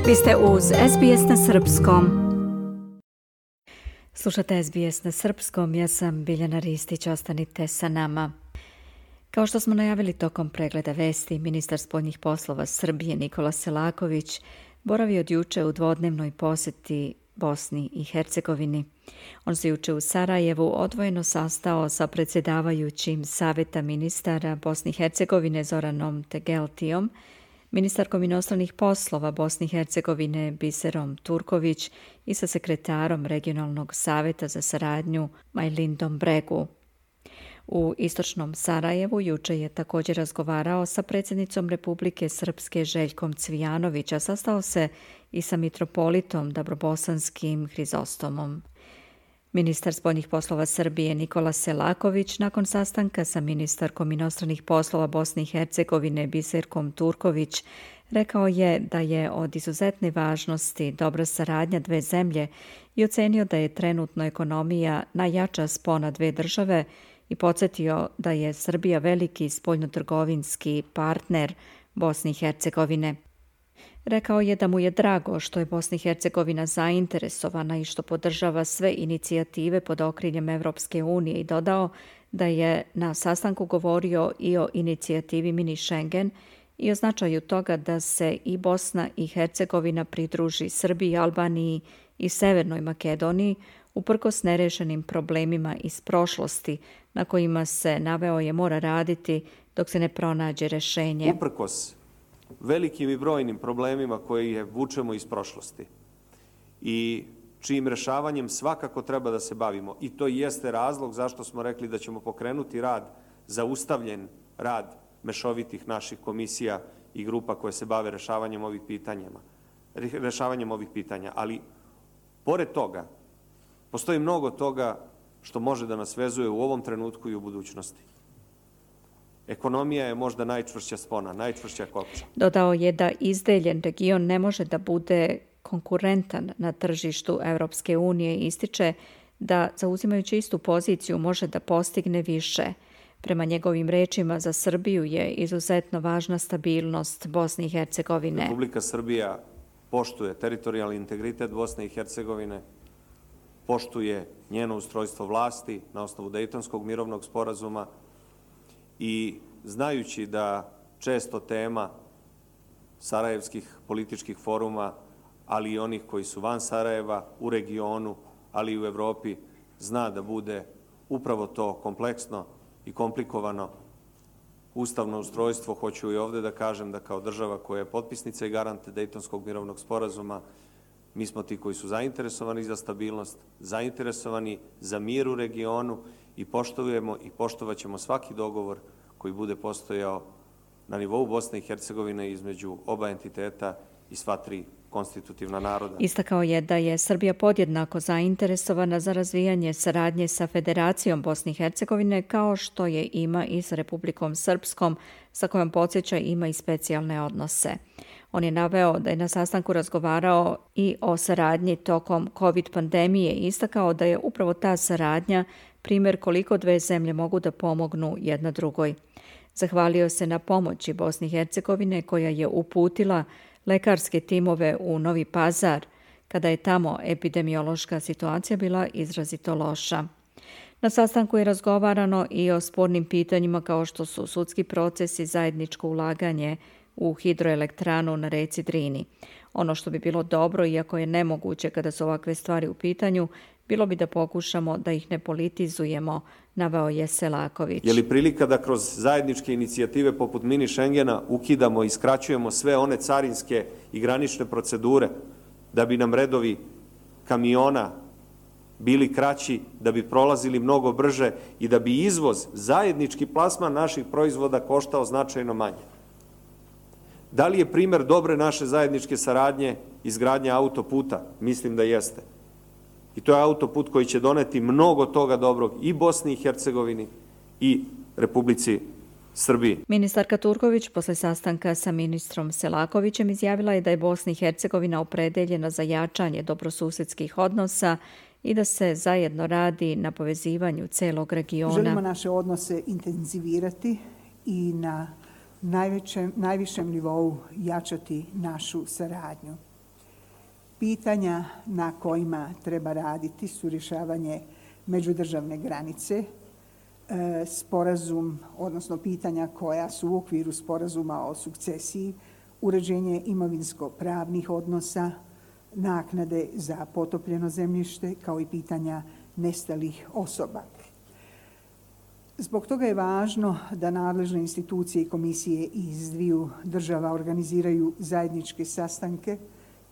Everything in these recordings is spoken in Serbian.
Vi ste uz SBS na Srpskom. Slušate SBS na Srpskom, ja sam Biljana Ristić, ostanite sa nama. Kao što smo najavili tokom pregleda vesti, ministar spoljnih poslova Srbije Nikola Selaković boravi od juče u dvodnevnoj posjeti Bosni i Hercegovini. On se juče u Sarajevu odvojeno sastao sa predsjedavajućim Saveta ministara Bosne i Hercegovine Zoranom Tegeltijom, ministarkom inostranih poslova Bosne i Hercegovine Biserom Turković i sa sekretarom Regionalnog saveta za saradnju Majlindom Bregu. U istočnom Sarajevu juče je također razgovarao sa predsjednicom Republike Srpske Željkom Cvijanović, a sastao se i sa mitropolitom Dabrobosanskim Hrizostomom. Ministar spoljnih poslova Srbije Nikola Selaković nakon sastanka sa ministarkom inostranih poslova Bosne i Hercegovine Biserkom Turković rekao je da je od izuzetne važnosti dobra saradnja dve zemlje i ocenio da je trenutno ekonomija najjača spona dve države i podsjetio da je Srbija veliki spoljnotrgovinski partner Bosne i Hercegovine. Rekao je da mu je drago što je Bosna i Hercegovina zainteresovana i što podržava sve inicijative pod okriljem Evropske unije i dodao da je na sastanku govorio i o inicijativi Mini Schengen i o značaju toga da se i Bosna i Hercegovina pridruži Srbiji, Albaniji i Severnoj Makedoniji uprkos nerešenim problemima iz prošlosti na kojima se, naveo je, mora raditi dok se ne pronađe rešenje. Uprkos velikim i brojnim problemima koje vučemo iz prošlosti i čijim rešavanjem svakako treba da se bavimo. I to jeste razlog zašto smo rekli da ćemo pokrenuti zaustavljen rad mešovitih naših komisija i grupa koje se bave rešavanjem ovih pitanja. Ali, pored toga, postoji mnogo toga što može da nas vezuje u ovom trenutku i u budućnosti. Ekonomija je možda najčvršća spona, najčvršća kopča. Dodao je da izdeljen region ne može da bude konkurentan na tržištu Evropske unije i ističe da, zauzimajući istu poziciju, može da postigne više. Prema njegovim rečima, za Srbiju je izuzetno važna stabilnost Bosne i Hercegovine. Republika Srbija poštuje teritorijalni integritet Bosne i Hercegovine, poštuje njeno ustrojstvo vlasti na osnovu Dejtonskog mirovnog sporazuma i znajući da često tema sarajevskih političkih foruma, ali i onih koji su van Sarajeva, u regionu, ali i u Evropi, zna da bude upravo to kompleksno i komplikovano ustavno ustrojstvo. Hoću i ovde da kažem da kao država koja je potpisnica i garant Dejtonskog mirovnog sporazuma, mi smo ti koji su zainteresovani za stabilnost, zainteresovani za mir u regionu i poštujemo i poštovaćemo svaki dogovor koji bude postojao na nivou Bosne i Hercegovine između oba entiteta i sva tri konstitutivna naroda. Istakao je da je Srbija podjednako zainteresovana za razvijanje saradnje sa Federacijom Bosne i Hercegovine, kao što je ima i sa Republikom Srpskom, sa kojom, podsjeća, ima i specijalne odnose. On je naveo da je na sastanku razgovarao i o saradnji tokom COVID pandemije i istakao da je upravo ta saradnja primjer koliko dve zemlje mogu da pomognu jedna drugoj. Zahvalio se na pomoći Bosne i Hercegovine koja je uputila lekarske timove u Novi Pazar kada je tamo epidemiološka situacija bila izrazito loša. Na sastanku je razgovarano i o spornim pitanjima kao što su sudski proces i zajedničko ulaganje u hidroelektranu na reci Drini. Ono što bi bilo dobro, iako je nemoguće kada su ovakve stvari u pitanju, bilo bi da pokušamo da ih ne politizujemo, naveo je Selaković. Je li prilika da kroz zajedničke inicijative poput Mini Schengena ukidamo i skraćujemo sve one carinske i granične procedure da bi nam redovi kamiona bili kraći, da bi prolazili mnogo brže i da bi izvoz, zajednički plasman naših proizvoda koštao značajno manje? Da li je primjer dobre naše zajedničke saradnje izgradnja autoputa? Mislim da jeste. I to je autoput koji će doneti mnogo toga dobrog i Bosni i Hercegovini i Republici Srbiji. Ministarka Turković posle sastanka sa ministrom Selakovićem izjavila je da je Bosna i Hercegovina opredeljena za jačanje dobrosusedskih odnosa i da se zajedno radi na povezivanju celog regiona. Želimo naše odnose intenzivirati i na najvišem nivou jačati našu saradnju. Pitanja na kojima treba raditi su rješavanje međudržavne granice, sporazum, odnosno pitanja koja su u okviru sporazuma o sukcesiji, uređenje imovinsko-pravnih odnosa, naknade za potopljeno zemljište, kao i pitanja nestalih osoba. Zbog toga je važno da nadležne institucije i komisije iz dviju država organiziraju zajedničke sastanke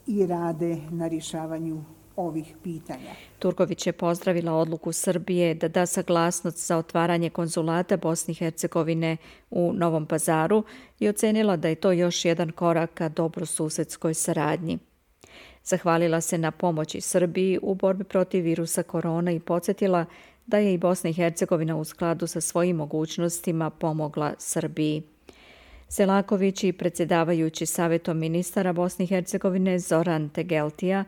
i rade na rješavanju ovih pitanja. Turković je pozdravila odluku Srbije da da saglasnost za otvaranje konzulata Bosne i Hercegovine u Novom Pazaru i ocenila da je to još jedan korak ka dobrosusedskoj saradnji. Zahvalila se na pomoći Srbiji u borbi protiv virusa korona i podsjetila da je i Bosna i Hercegovina u skladu sa svojim mogućnostima pomogla Srbiji. Selaković i predsjedavajući Savjetom ministara Bosne i Hercegovine Zoran Tegeltija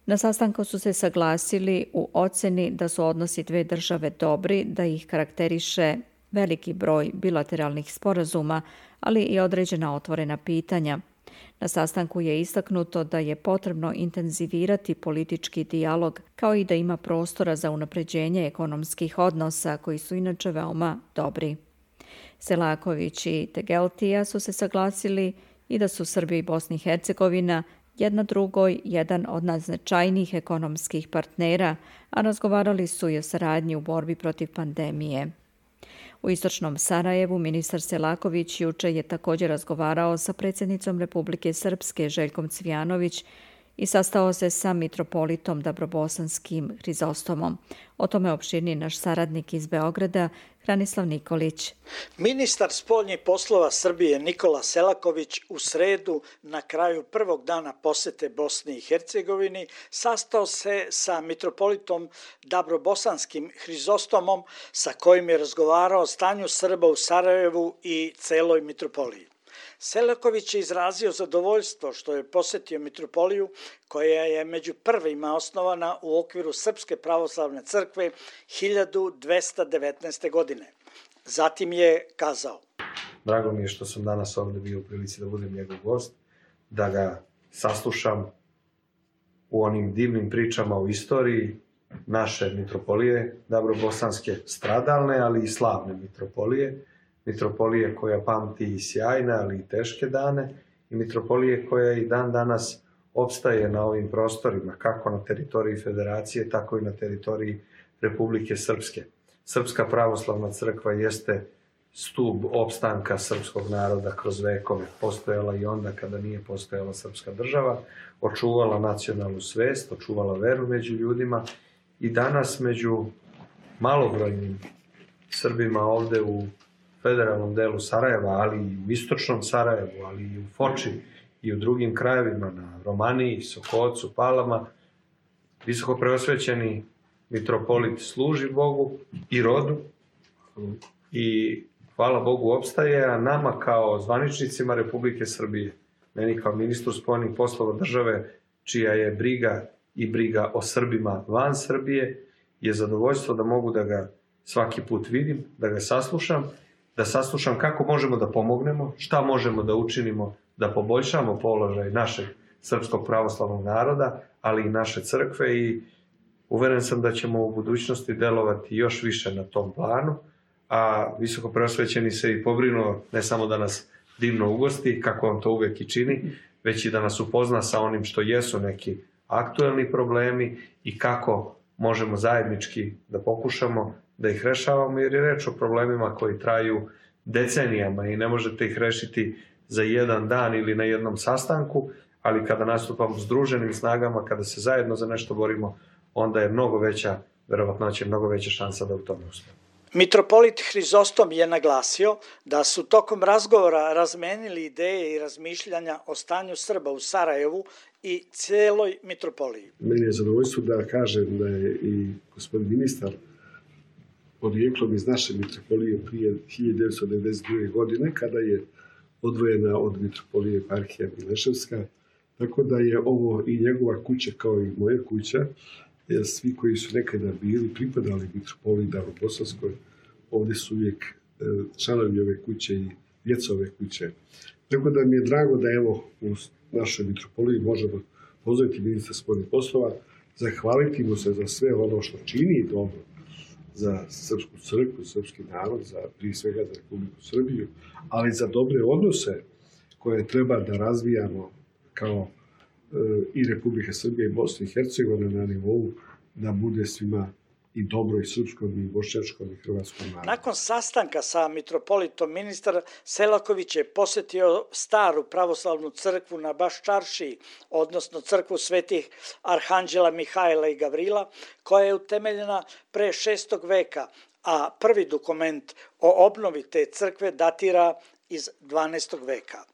na sastanku su se saglasili u oceni da su odnosi dve države dobri, da ih karakteriše veliki broj bilateralnih sporazuma, ali i određena otvorena pitanja. Na sastanku je istaknuto da je potrebno intenzivirati politički dijalog, kao i da ima prostora za unapređenje ekonomskih odnosa, koji su inače veoma dobri. Selaković i Tegeltija su se saglasili i da su Srbija i Bosna i Hercegovina jedna drugoj jedan od najznačajnijih ekonomskih partnera, a razgovarali su i o saradnji u borbi protiv pandemije. U istočnom Sarajevu ministar Selaković juče je također razgovarao sa predsjednicom Republike Srpske Željkom Cvijanović i sastao se sa mitropolitom Dabrobosanskim Hrizostomom. O tome opširnije naš saradnik iz Beograda, Hranislav Nikolić. Ministar spoljnih poslova Srbije Nikola Selaković u sredu na kraju prvog dana posete Bosni i Hercegovini sastao se sa mitropolitom Dabrobosanskim Hrizostomom sa kojim je razgovarao o stanju Srba u Sarajevu i celoj mitropoliji. Selaković je izrazio zadovoljstvo što je posjetio mitropoliju koja je među prvima osnovana u okviru Srpske pravoslavne crkve 1219. godine. Zatim je kazao: Drago mi je što sam danas ovdje bio u prilici da budem njegov gost, da ga saslušam u onim divnim pričama o istoriji naše mitropolije, Dabrobosanske, stradalne, ali i slavne mitropolije koja pamti i sjajne, ali i teške dane, i mitropolije koja i dan danas opstaje na ovim prostorima, kako na teritoriji Federacije, tako i na teritoriji Republike Srpske. Srpska pravoslavna crkva jeste stub opstanka srpskog naroda kroz vekove. Postojala i onda kada nije postojala srpska država, očuvala nacionalnu svest, očuvala veru među ljudima i danas među malobrojnim Srbima ovde u federalnom delu Sarajeva, ali i u istočnom Sarajevu, ali i u Foči i u drugim krajevima, na Romaniji, Sokocu, Palama, visoko preosvećeni mitropolit služi Bogu i rodu i hvala Bogu opstaje, a nama kao zvaničnicima Republike Srbije, meni kao ministru spoljnih poslova države, čija je briga i briga o Srbima van Srbije, je zadovoljstvo da mogu da ga svaki put vidim, da ga saslušam kako možemo da pomognemo, šta možemo da učinimo da poboljšamo položaj našeg srpskog pravoslavnog naroda, ali i naše crkve, i uveren sam da ćemo u budućnosti delovati još više na tom planu, a visoko preosvećeni se i pobrinuo ne samo da nas divno ugosti, kako on to uvek i čini, već i da nas upozna sa onim što jesu neki aktuelni problemi i kako možemo zajednički da pokušamo da ih rešavamo, jer je reč o problemima koji traju decenijama i ne možete ih rešiti za jedan dan ili na jednom sastanku, ali kada nastupamo združenim snagama, kada se zajedno za nešto borimo, onda je mnogo veća verovatnoća, mnogo veća šansa da u tome uspemo. Mitropolit Hrizostom je naglasio da su tokom razgovora razmenili ideje i razmišljanja o stanju Srba u Sarajevu i celoj mitropoliji. Meni je zadovoljstvo da kažem da je i gospodin ministar porijeklom iz naše mitropolije prije 1992. godine, kada je odvojena od mitropolije eparhija Mileševska, tako da je ovo i njegova kuća kao i moja kuća, jer svi koji su nekada bili pripadali mitropoliji Dabrobosanskoj, ovdje su uvijek članovi ove kuće i djeca ove kuće. Tako da mi je drago da evo u našoj mitropoliji možemo pozdraviti ministra spoljnih poslova, zahvaliti mu se za sve ono što čini dobro za srpsku crkvu, srpski narod, prije svega za Republiku Srbiju, ali za dobre odnose koje treba da razvijamo kao i Republike Srbije i Bosne i Hercegovine na nivou da bude svima i dobro i srpskom, i bošnjačkom, i hrvatskom narodu. Nakon sastanka sa mitropolitom, ministar Selaković je posjetio staru pravoslavnu crkvu na Baščaršiji, odnosno crkvu svetih arhanđela Mihajla i Gavrila, koja je utemeljena pre 6. veka, a prvi dokument o obnovi te crkve datira iz 12. veka.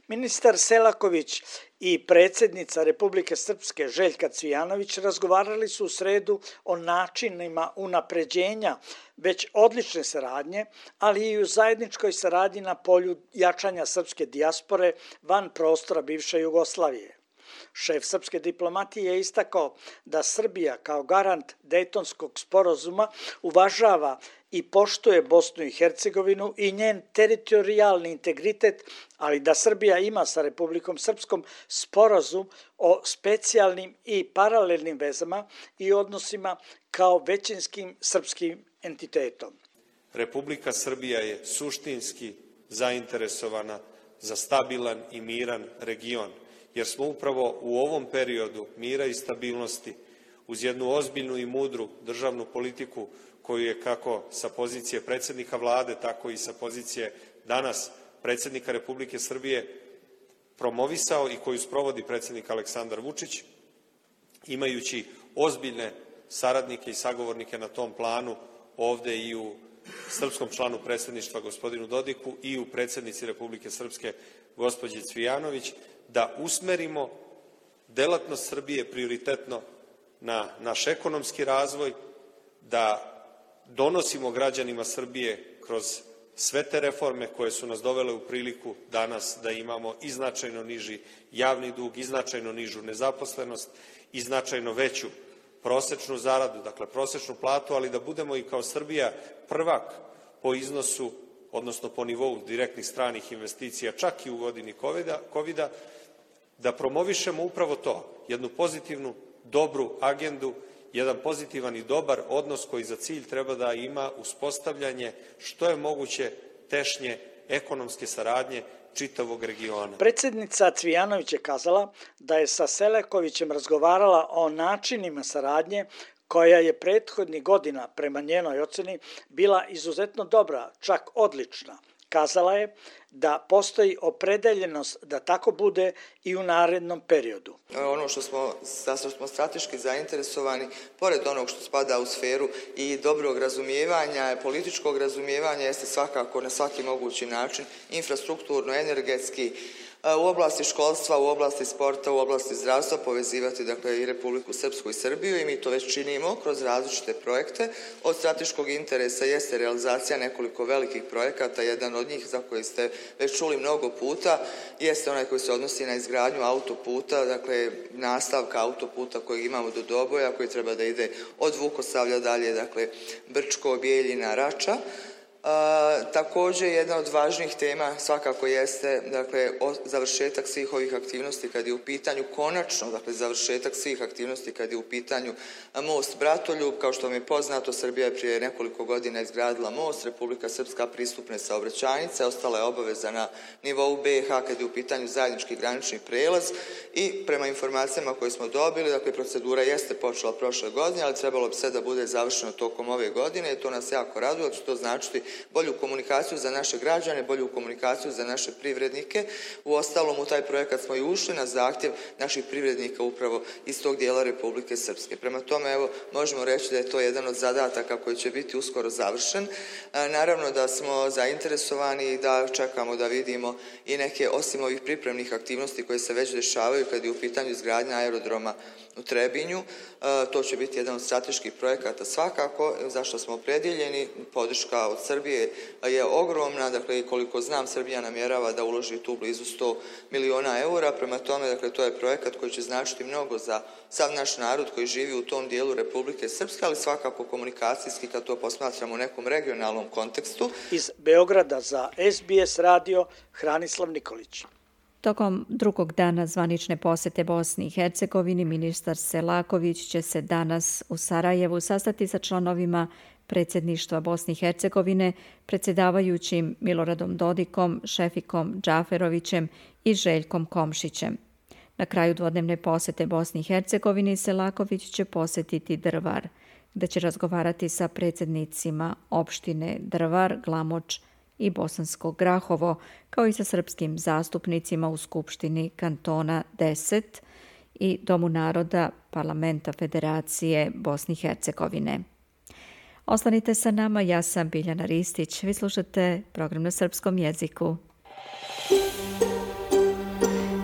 Ministar Selaković i predsjednica Republike Srpske Željka Cvijanović razgovarali su u sredu o načinima unapređenja već odlične saradnje, ali i u zajedničkoj saradnji na polju jačanja srpske dijaspore van prostora bivše Jugoslavije. Šef srpske diplomatije je istakao da Srbija kao garant Dejtonskog sporazuma uvažava i poštuje Bosnu i Hercegovinu i njen teritorijalni integritet, ali da Srbija ima sa Republikom Srpskom sporazum o specijalnim i paralelnim vezama i odnosima kao većinskim srpskim entitetom. Republika Srbija je suštinski zainteresovana za stabilan i miran region, jer smo upravo u ovom periodu mira i stabilnosti uz jednu ozbiljnu i mudru državnu politiku koju je kako sa pozicije predsjednika vlade, tako i sa pozicije danas predsjednika Republike Srbije promovisao i koju sprovodi predsjednik Aleksandar Vučić, imajući ozbiljne saradnike i sagovornike na tom planu ovde i u srpskom članu predsjedništva gospodinu Dodiku i u predsjednici Republike Srpske gospođi Cvijanović, da usmerimo delatnost Srbije prioritetno na naš ekonomski razvoj, da donosimo građanima Srbije kroz sve te reforme koje su nas dovele u priliku danas da imamo i značajno niži javni dug, i značajno nižu nezaposlenost, i značajno veću prosečnu zaradu, dakle prosečnu platu, ali da budemo i kao Srbija prvak po iznosu, odnosno po nivou direktnih stranih investicija, čak i u godini COVID-a, da promovišemo upravo to, jednu pozitivnu, dobru agendu, jedan pozitivan i dobar odnos koji za cilj treba da ima uspostavljanje što je moguće tešnje ekonomske saradnje čitavog regiona. Predsjednica Cvijanović je kazala da je sa Selakovićem razgovarala o načinima saradnje koja je prethodnih godina, prema njenoj oceni, bila izuzetno dobra, čak odlična. Kazala je da postoji opredeljenost da tako bude i u narednom periodu. Ono što smo strateški zainteresovani, pored onog što spada u sferu i dobrog razumijevanja, političkog razumijevanja, jeste svakako na svaki mogući način infrastrukturno, energetski, u oblasti školstva, u oblasti sporta, u oblasti zdravstva povezivati i Republiku Srpsku i Srbiju i mi to već činimo kroz različite projekte. Od strateškog interesa jeste realizacija nekoliko velikih projekata, jedan od njih za koji ste već čuli mnogo puta jeste onaj koji se odnosi na izgradnju autoputa, nastavka autoputa kojeg imamo do Doboja, koji treba da ide od Vukosavlja dalje, Brčko, Bijeljina, Rača. Također jedna od važnijih tema svakako jeste završetak svih ovih aktivnosti kad je u pitanju konačno, završetak svih aktivnosti kad je u pitanju most Bratoljub. Kao što vam je poznato, Srbija je prije nekoliko godina izgradila most, Republika Srpska pristupne saobraćajnice, ostala je obaveza na nivou BiH kad je u pitanju zajednički granični prelaz i prema informacijama koje smo dobili, procedura jeste počela prošle godine, ali trebalo bi sve da bude završeno tokom ove godine i to nas jako raduje, jer će to značiti bolju komunikaciju za naše građane, bolju komunikaciju za naše privrednike. Uostalom, u taj projekat smo i ušli na zahtjev naših privrednika upravo iz tog dijela Republike Srpske. Prema tome, možemo reći da je to jedan od zadataka koji će biti uskoro završen. Naravno da smo zainteresovani i da čekamo da vidimo i neke, osim ovih pripremnih aktivnosti koje se već dešavaju kad je u pitanju izgradnja aerodroma u Trebinju. To će biti jedan od strateških projekata svakako, zašto smo opredjeljeni. Podrška od Srbije je ogromna, i koliko znam, Srbija namjerava da uloži tu blizu 100 miliona eura, prema tome, to je projekat koji će značiti mnogo za sav naš narod koji živi u tom dijelu Republike Srpske, ali svakako komunikacijski kad to posmatramo u nekom regionalnom kontekstu. Iz Beograda za SBS radio Hranislav Nikolić. Tokom drugog dana zvanične posete Bosni i Hercegovini, ministar Selaković će se danas u Sarajevu sastati sa članovima predsjedništva Bosne i Hercegovine, predsjedavajućim Miloradom Dodikom, Šefikom Džaferovićem i Željkom Komšićem. Na kraju dvodnevne posete Bosni i Hercegovini Selaković će posjetiti Drvar, gdje će razgovarati sa predsjednicima opštine Drvar, Glamoč i Bosansko Grahovo, kao i sa srpskim zastupnicima u Skupštini kantona 10 i Domu naroda Parlamenta Federacije Bosne i Hercegovine. Ostanite sa nama, ja sam Biljana Ristić. Vi slušate program na srpskom jeziku.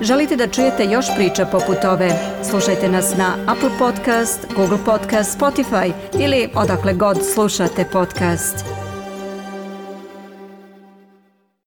Želite da čujete još priča poput ove? Slušajte nas na Apple Podcast, Google Podcast, Spotify ili odakle god slušate podcast.